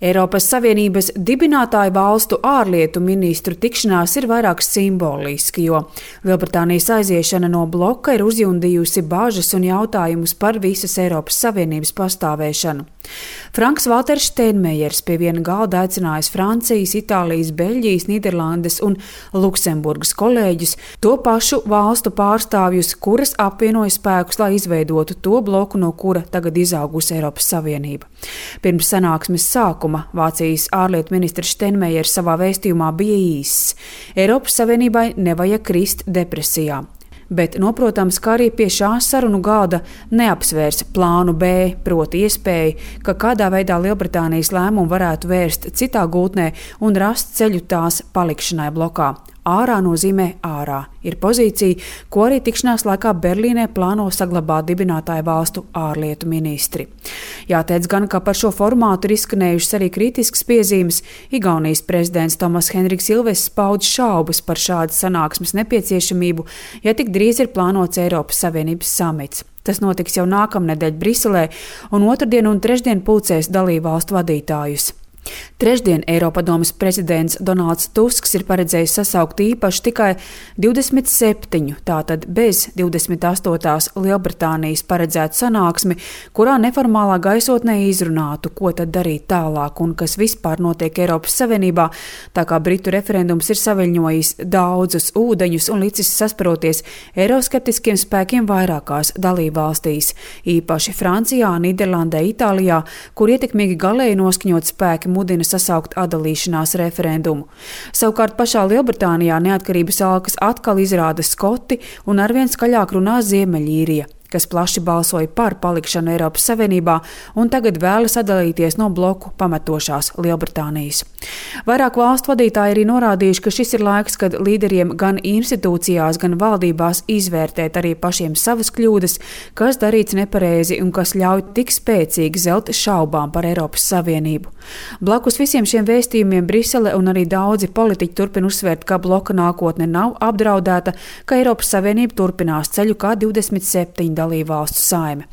Eiropas Savienības dibinātāju valstu ārlietu ministru tikšanās ir vairāk simboliski, jo Lielbritānijas aiziešana no bloka ir uzjundījusi bāžas un jautājumus par visas Eiropas Savienības pastāvēšanu. Franks Valters Steinmeiers pie viena galda aicinājis Francijas, Itālijas, Beļģijas, Nīderlandes un Luksemburgas kolēģus, to pašu valstu pārstāvjus, kuras apvienoja spēkus, lai izveidotu to bloku, no kura tagad izaugusi Eiropas Savienība. Pirms sanāksmes sākuma Vācijas ārlietu ministrs Steinmeiers savā vēstījumā bija īss. Eiropas Savienībai nevajag krist depresijā. Bet noprotams, ka arī pie šā sarunu galda neapsvērs plānu B, proti iespēju, ka kādā veidā Lielbritānijas lēmumu varētu vērst citā gultnē un rast ceļu tās palikšanai blokā. Ārā nozīmē ārā ir pozīcija, ko arī tikšanās laikā Berlīnē plāno saglabāt dibinātāju valstu ārlietu ministri. Jāteic gan, ka par šo formātu ir izskanējušas arī kritiskas piezīmes. Igaunijas prezidents Tomas Henriks Ilvesis paudz šaubas par šādas sanāksmes nepieciešamību, ja tik drīz ir plānots Eiropas Savienības samits. Tas notiks jau nākamnedēļ Briselē, un otrdien un trešdien pulcēs dalībvalstu vadītājus. Trešdien Eiropadomes prezidents Donalds Tusks ir paredzējis sasaukt īpaši tikai 27, tātad bez 28. Lielbritānijas paredzētu sanāksmi, kurā neformālā gaisotnē izrunātu, ko tad darīt tālāk un kas vispār notiek Eiropas Savienībā, tā kā Britu referendums ir saviļņojis daudzus ūdeņus un licis sasparoties eiroskeptiskiem spēkiem vairākās dalībvalstīs, īpaši Francijā, Nīderlandē, Itālijā, kur ietekmīgi galēji noskaņot spēki mudina sasaukt atdalīšanās referendumu. Savukārt pašā Lielbritānijā neatkarības alkas atkal izrāda Skoti un arvien skaļāk runā Ziemeļīrija, kas plaši balsoja par palikšanu Eiropas Savienībā un tagad vēlas atdalīties no bloku pametošās Lielbritānijas. Vairāk valstu vadītāji arī norādījuši, ka šis ir laiks, kad līderiem gan institūcijās, gan valdībās izvērtēt arī pašiem savas kļūdas, kas darīts nepareizi un kas ļauj tik spēcīgi zelt šaubām par Eiropas Savienību. Blakus visiem šiem vēstījumiem Brisele un arī daudzi politiķi turpina uzsvērt, ka bloka nākotne nav apdraudēta, ka Eiropas Savienība turpinās ceļu kā 27 dalībvalstu saime.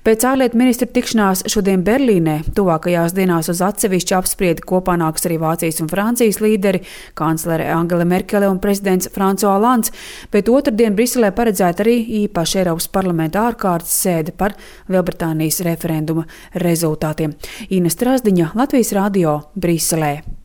Pēc ārlietu ministru tikšanās šodien Berlīnē tuvākajās dienās uz atsevišķu apspriedi kopā nāks arī Vācijas un Francijas līderi, kanclere Angela Merkele un prezidents François Hollands, bet otrdien Briselē paredzēta arī īpaša Eiropas parlamenta ārkārtas sēde par Lielbritānijas referenduma rezultātiem. Ina Strazdiņa, Latvijas radio, Briselē.